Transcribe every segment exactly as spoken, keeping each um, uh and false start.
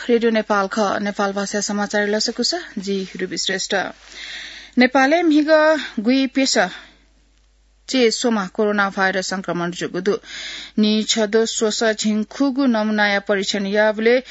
रेडियो नेपाल खः। नेपाल भाषा समाचार लसकुस, जि रुबी श्रेष्ठ। नेपालय् म्हिगः गुइप्यसः चय् स्वम्ह कोरोना भाइरस संक्रमण जूगु दु। नीछदँ स्वसः झिंखुगू नमूनाया परीक्षण याःबलय्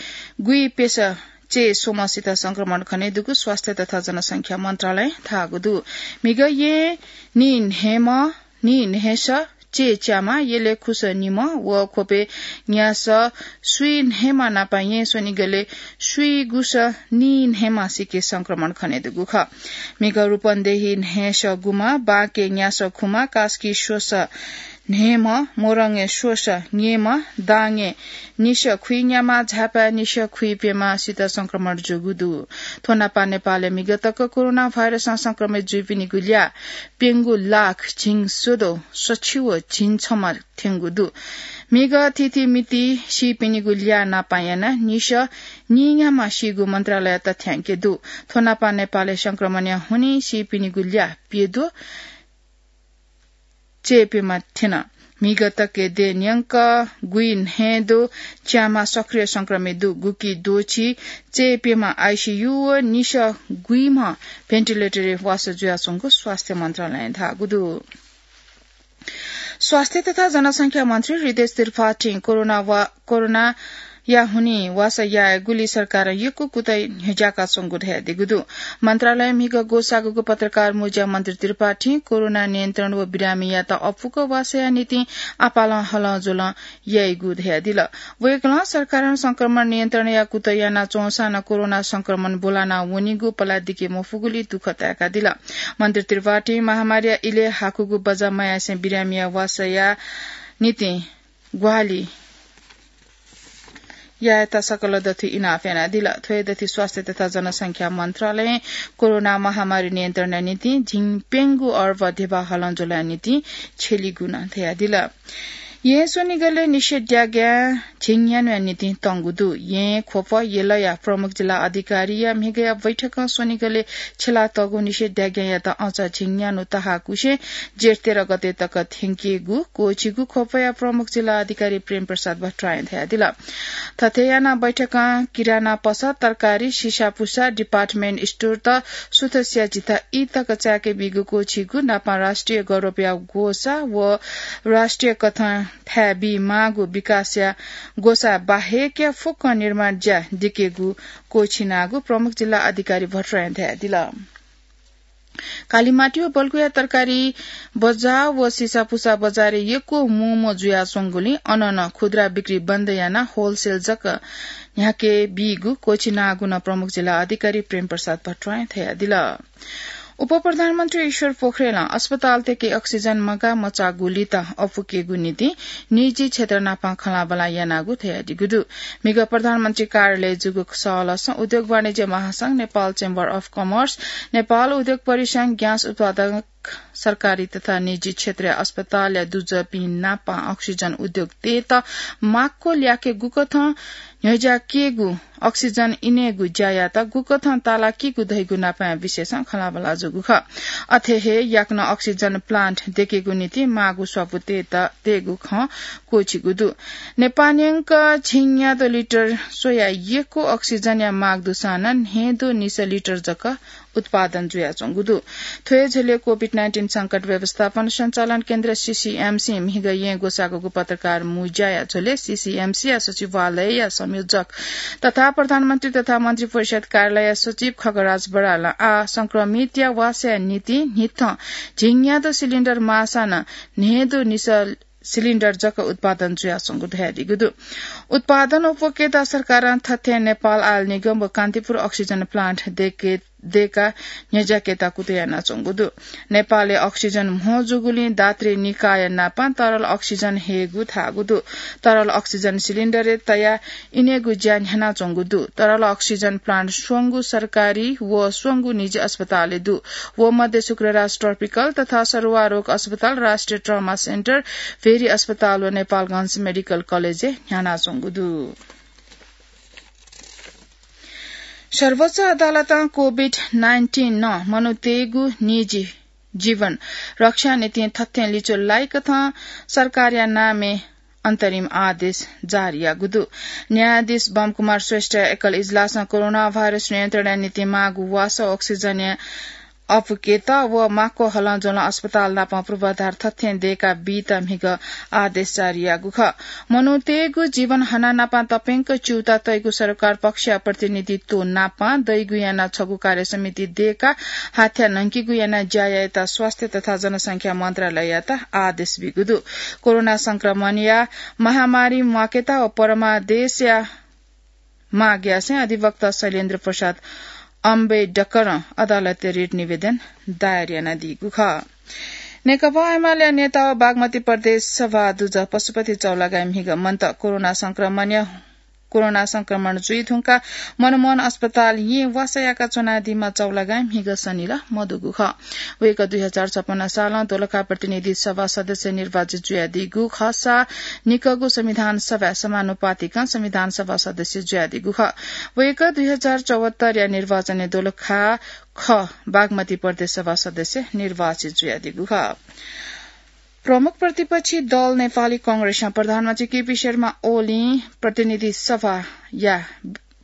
गुइप्यसः चय् स्वम्हसित संक्रमण खनेदुगु स्वास्थ्य तथा जनसंख्या मन्त्रालयं धाःगु दु। म्हिगः येँ नीन्हय्म्ह, नीन्हय्सः चय् च्याम्ह, यलय् खुसः निम्ह व ख्वपय् न्यासः स्वीन्हय्म्ह नाप येँ स्वनिगलय् स्वीगुसः नीन्हय्म्हसिके संक्रमण खनेदुगु खः। म्हिगः रूपन्देही न्हय्सः गुम्ह, बाँके न्यासः खुम्ह, कास्की स्वसः न्हय्म्ह, मोरङय् स्वसः न्यम्ह, दाङय् निसः खुइन्याम्ह, झापाय् निसः खुइप्यम्हसित संक्रमण जूगु दु। थ्व नाप नेपालय् म्हिगः तक कोरोना भाइरसं संक्रमित जुइपिनिगु ल्याः प्यंगू लाख झिंस्वदँ सछि व झिंछम्ह थ्यंगु दु। म्हिगः थीथी मिति सीपिनिगु ल्याः नाप यानाः निसः नीन्याम्ह सीगु मन्त्रालयया तथ्याङ्क दु। थ्व नाप नेपालय् संक्रमणया हुनिं सीपिनिगु ल्याः प्यद्वः चय्प्यम्ह थ्यन। म्हिगः तकय् देय् न्यंक गुइन्हय्द्वः च्याम्ह सक्रिय संक्रमित दु। गुकी द्वःछि चय्प्यम्ह आइसियु व निसः गुइम्ह भेन्टिलेटरय् वासः जुयाच्वंगु स्वास्थ्य मन्त्रालयं धाःगु दु। स्वास्थ्य तथा जनसंख्या मन्त्री हृदयेश त्रिपाठीं कोरोना वा-, कोरोनाया हुनिं वासः यायेगुली सरकारं यक्व कुतः न्ह्यज्याकाच्वंगु धयादीगु दु। मन्त्रालयं म्हिगः ग्वसाःगु पत्रकार मुँज्याय् मन्त्री त्रिपाठीं कोरोना नियन्त्रण व बिरामीयात अप्वःगु वासःया निंतिं आपालं हलंज्वलं याइगु धयादिल। वय्कलं सरकारं संक्रमण नियन्त्रणया कुतः यानाच्वंसां नं कोरोना संक्रमण ब्वलाना वनीगु पलाः दिके मफुगुली दुःख ताय्कादिल। मन्त्री त्रिपाठीं महामारीया इलय् हाकुगु बज्या मयासें बिरामीया वासःया निंतिं ग्वाहालि यायेत सकल दथुइ इनाप यानादिल। थ्व हे दथुइ स्वास्थ्य तथा जनसंख्या मन्त्रालयं कोरोना महामारी नियन्त्रणया निंतिं झिंप्यंगू अर्ब ध्यबा हलंज्वलया निंतिं छ्यलीगु नं धयादिल। येँ स्वनिगलय् निषेधाज्ञा झिंन्यान्हुया निंतिं तंगु दु। येँ, ख्वप, यलया प्रमुख जिल्ला अधिकारीया म्हिगःया बैठकं स्वनिगलय् छ्यलातःगु निषेधाज्ञायात अझ झिंन्यान्हु तहाकुसें जेठ तेह्र गते तक थ्यंकेगु क्वःछिगु ख्वपया प्रमुख जिल्ला अधिकारी प्रेम प्रसाद भट्टराईं धयादिल। थथे यानाः बैठकं किराना पसः, तरकारी, सिसापुसा, department storeत सुथसिया झिता ई तक चाय्के बीगु क्वःछिगु नापं राष्ट्रिय गौरवया ग्वसाः व राष्ट्रिय कथं थाय् बीमाःगु विकासया ग्वसाः बाहेकया फुक्क निर्माण ज्या दिकेगु क्वःछिनागु प्रमुख जिल्ला अधिकारी भट्टराईं धयादिल। कालिमाटी व बल्कुया तरकारी बजार व सिसापुसा बजारय् यक्व मूमू जुयाच्वंगुलिं अन नं खुद्रा बिक्री बन्द यानाः wholesale जक न्ह्याके बीगु क्वःछिनागु नं प्रमुख जिल्ला अधिकारी प्रेम प्रसाद भट्टराईं धयादिल। उपप्रधानमन्त्री ईश्वर पोखरेलं अस्पतालतय्के अक्सिजन मगाः मचाःगुलित अप्वकेगु निंतिं निजी क्षेत्र नाप खँल्हाबल्हा यानागु धयादीगु दु। म्हिगः प्रधानमन्त्री कार्यालयय् जूगु सहलहसं उद्योग वाणिज्य महासंघ, Nepal Chamber of Commerce, Nepal उद्योग परिसंघ, ग्यास उत्पादक सरकारी तथा निजी क्षेत्रया अस्पतालया दुजःपिं नाप अक्सिजन उद्योग तयेत माक्व ल्याके गुकथं न्ह्यज्याकेगु, अक्सिजन इनेगु ज्यायात गुकथं तालाकीगु धइगु नापया विषयसं खँल्हाबल्हा जूगु खः। अथे हे याकनं अक्सिजन plant दयेकेगु निंतिं माःगु स्वापू तयेत, तयेगु खँ क्वःछिगु दु। नेपाः न्यंक झिंन्याद्वः लिटर स्वयाः यक्व अक्सिजनया माग दुसां नं न्हय्द्वः निसः लिटर जक उत्पादन जुयाच्वंगु दु। थ्व हे झ्वलय् COVID nineteen संकट व्यवस्थापन सञ्चालन केन्द्र, CCMC, म्हिगः येँ ग्वसाःगु पत्रकार मुँज्याया झ्वलय् CCMC या सचिवालयया संयोजक तथा प्रधानमन्त्री तथा मन्त्रिपरिषद कार्यालयया सचिव खगराज बरालं आः संक्रमितया वासःया निंतिं न्हिथं झिंन्याद्वः सिलिण्डर माःसां नं न्हय्द्वः निसः सिलिण्डर जक उत्पादन जुयाच्वंगु धयादीगु दु। उत्पादन अप्वकेत सरकारं थथें नेपाल आयल निगम व कान्तिपुर अक्सिजन plant दयेके, दयेकाः न्ह्यज्याकेत कुतः यानाच्वंगु दु। नेपालय् अक्सिजन म्हो जूगुलिं दातृ निकाय नापं तरल अक्सिजन हयेगु धाःगु दु। तरल अक्सिजन सिलिण्डरय् तयाः इनेगु ज्या न्ह्यानाच्वंगु दु। तरल अक्सिजन plant स्वंगू सरकारी व स्वंगू निजी अस्पतालय् दु। व मध्ये शुक्रराज ट्रपिकल तथा सरुवा रोग अस्पताल, राष्ट्रिय ट्रमा सेन्टर, भेरी अस्पताल व नेपालगंज मेडिकल कलेजय् न्ह्यानाच्वंगु दु। सर्वोच्च अदालतं COVID nineteen नं मनूतय्गु निजी जीवन रक्षा निंतिं थथें लिच्वः लाइकथं सरकारया नामय् अन्तरिम आदेश जारी याःगु दु। न्यायाधीश बम कुमार श्रेष्ठ एकल इजलासं कोरोना भाइरस नियन्त्रणया निंतिं माःगु वासः अक्सिजनया अपुकेत व माक्व हलं ज्वलं अस्पताल नाप पूर्वाधार थथें दयेका बीत म्हिगः आदेश जारी याःगु खः। मनूतय्गु जीवन हना नाप तप्यंक च्यूता तइगु सरकार पक्षया प्रतिनिधित्व नाप दइगु याना छगू कार्य समिति दयेका हाथ्या न्हंकेगु याना ज्या यायेत स्वास्थ्य तथा जनसंख्या मन्त्रालययात आदेश बीगु दु। कोरोना संक्रमणया महामारी म्वाकेत व परमादेशया माग यासें अधिवक्ता शैलेन्द्र प्रसाद अम्बेडकरं अदालतय् रिट निवेदन दायर यानादीगु खः। नेकपा एमालेया नेता व बागमती प्रदेश सभा दुजः पशुपति चौलागाई म्हिगः मन्त कोरोना संक्रमण, कोरोना संक्रमण जुइ धुंकाः मनमोहन अस्पताल येँ वासः याका च्वनादीम्ह चौलागाई म्हिगः सनिला मदुगु खः। वय्कः दुई हजार छपन्न सालं दोलखा प्रतिनिधि सभा सदस्य निर्वाचित जुयादीगु खःसा निकःगु संविधान सभाय् समानुपातिकं संविधान सभा सदस्य जुयादीगु खः। वय्कः दुई हजार चौहत्तरया निर्वाचनय् दोलखा ख बागमती प्रदेश सभा सदस्य निर्वाचित जुयादीगु खः। प्रमुख प्रतिपक्षी दल नेपाली कांग्रेसं प्रधानमन्त्री केपी शर्मा ओलीं प्रतिनिधि सभाया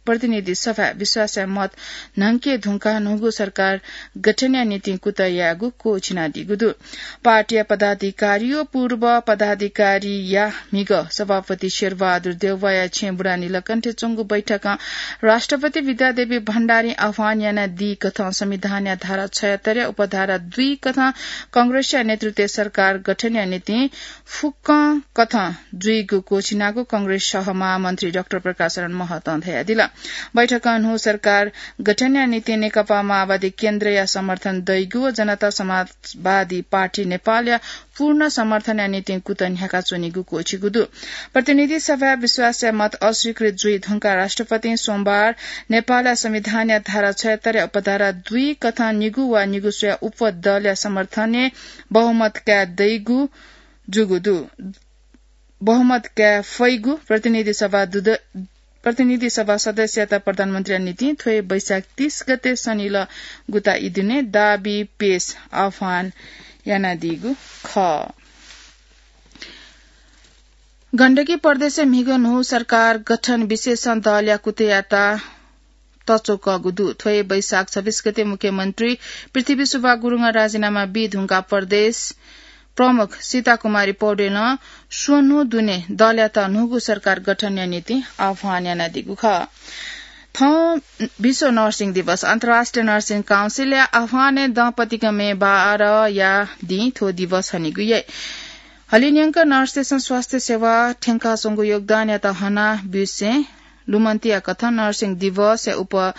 प्रतिनिधि सभाय् विश्वासया मत न्हंके धुंकाः न्हूगु सरकार गठनया निंतिं कुतः यायेगु क्वःछिनादीगु दु। पार्टीया पदाधिकारी व पूर्व पदाधिकारीया म्हिगः सभापति शेरबहादुर देउवाया छेँबुढा नीलकण्ठय् च्वंगु बैठकं राष्ट्रपति विद्यादेवी भण्डारीं आह्वान यानादी कथं संविधानया धारा छयत्तरया उपधारा दुई कथं कांग्रेसया नेतृत्वय् सरकार गठनया निंतिं फुक्कं कथं जुइगु क्वःछिनागु कांग्रेस सह महामन्त्री डाक्टर प्रकाश शरण महतं धयादिल। बैठकं न्हू सरकार गठनया निंतिं नेकपा माओवादी केन्द्रया समर्थन दइगु व जनता समाजवादी पार्टी नेपालया पूर्ण समर्थनया निंतिं कुतः न्ह्याकाच्वनीगु क्वःछिगु दु। प्रतिनिधि सभाय् विश्वासया मत अस्वीकृत जुइ धुंकाः राष्ट्रपतिं सोमबार नेपालया संविधानया धारा छयत्तरया उपधारा दुई कथं निगू वा निगू स्वया उपदलया समर्थनय् बहुमत काये दइगु जूगु दु। बहुमत काये फइगु प्रतिनिधि सभा दुद-, प्रतिनिधि सभा सदस्ययात प्रधानमन्त्रीया निंतिं थ्व हे वैशाख तीस गते सनिलः गुता ई दुने दाबी पेश आह्वान यानादीगु खः। गण्डकी प्रदेशय् म्हिगः न्हू सरकार गठन विशेषं दलया कुतःयात तच्वकःगु दु। थ्व हे वैशाख छब्बीस गते मुख्यमन्त्री पृथ्वी सुब्बा गुरुङं राजीनामा बी धुंकाः प्रदेश प्रमुख सीता कुमारी पौडेलं स्वन्हु दुने दलयात न्हूगु सरकार गठनया निंतिं आह्वान यानादीगु खः। थौं विश्व नर्सिङ दिवस। अन्तर्राष्ट्रिय नर्सिङ काउन्सिलया आह्वानय् दँपतिक मे बाह्रया दिं थ्व दिवस हनीगु याइ। हलिंन्यंक नर्सतय्सं स्वास्थ्य सेवा थ्यंकाच्वंगु योगदानयात हना ब्यूसें लुमन्तिया कथं नर्सिङ दिवसया उप-,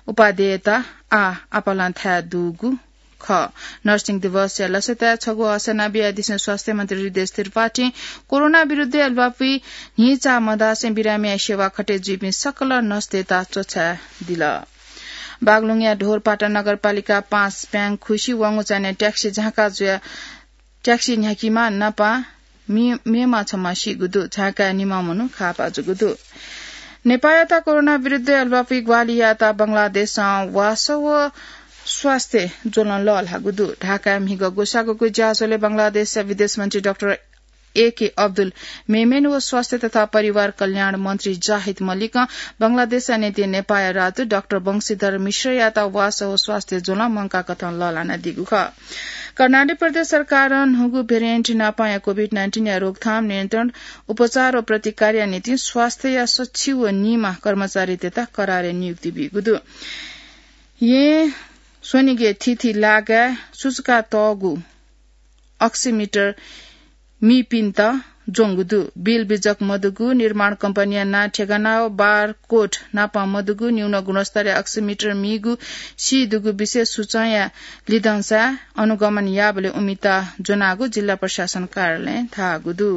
उपादेयता आः आपालं थाय् दुगु खः। नर्सिङ दिवसया लसताय् छगू हसना बियादिसें स्वास्थ्य मन्त्री हृदयेश त्रिपाठीं कोरोना विरुद्धय् ल्वापुइ न्हिचा मदासें बिरामीया सेवा खटे जुइपिं सकल नर्सतय्त च्वछाय् दिल। बागलुङया ढोरपाटा नगरपालिका पाँच प्याङखुसी वंगु चान्हय् ट्याक्सी झाँका जुया ट्याक्सी न्ह्याकीम्ह नापं मे-, मेम्ह छम्ह सीगु दु। झाँकाय् निम्ह मनू खापा जूगु दु। नेपाःयात कोरोना विरुद्धय् ल्वापुइ ग्वाहालि यायेत बंगलादेशं वासः व स्वास्थ्य ज्वलं लःल्हाःगु दु। ढाकाय् म्हिगः ग्वसाःगु ज्याझ्वलय् बंगलादेशया विदेश मन्त्री डाक्टर एके अब्दुल मेमेन व स्वास्थ्य तथा परिवार कल्याण मन्त्री जाहिद मलिकं बंगलादेशया निंतिं नेपाःया राजदूत डाक्टर वंशीधर मिश्रयात वासः व स्वास्थ्य ज्वलं मंकाः कथं लःल्हानादीगु खः। कर्णाली प्रदेश सरकारं न्हूगु भेरिएन्ट नापांया कोभिड नाइन्टिनया रोकथाम, नियन्त्रण, उपचार व प्रतिकारया निंतिं स्वास्थ्यया सच्छि व निम्ह कर्मचारीतय्त करारय् नियुक्ति बीगु दु। येँ स्वनिगय् थीथी लागाय् सुचुकातःगु अक्सिमिटर मीपिन्त ज्वंगु दु। बिल बिजक मदुगु, निर्माण कम्पनीया नां ठेगाना व बारकोड नापं मदुगु, न्यून गुणस्तरया अक्सिमिटर मीगु सी दुगु विशेष सूचंया लिधंसा अनुगमन याःबलय् उमित ज्वनागु जिल्ला प्रशासन कार्यालयं धाःगु दु।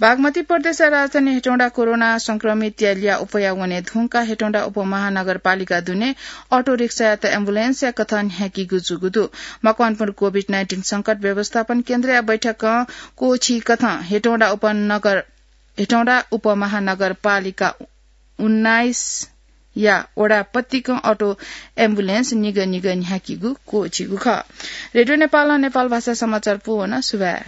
बागमती प्रदेशया राजधानी हेटौँडा कोरोना संक्रमितया ल्याः उपया वने धुंकाः हेटौँडा उपमहानगरपालिका दुने अटो रिक्सायात एम्बुलेन्सया कथं न्ह्याकीगु जूगु दु। मकवानपुर कोभिड नाइन्टिन संकट व्यवस्थापन केन्द्रया बैठकं क्वःछी कथं हेटौँडा उपनगर, हेटौँडा उपमहानगरपालिका उन्नाइसया वडा पतिकं अटो एम्बुलेन्स निगः निगः न्ह्याकीगु क्वःछीगु खः। रेडियो नेपालं नेपाल भाषा समाचार पूवना। सुभाय्।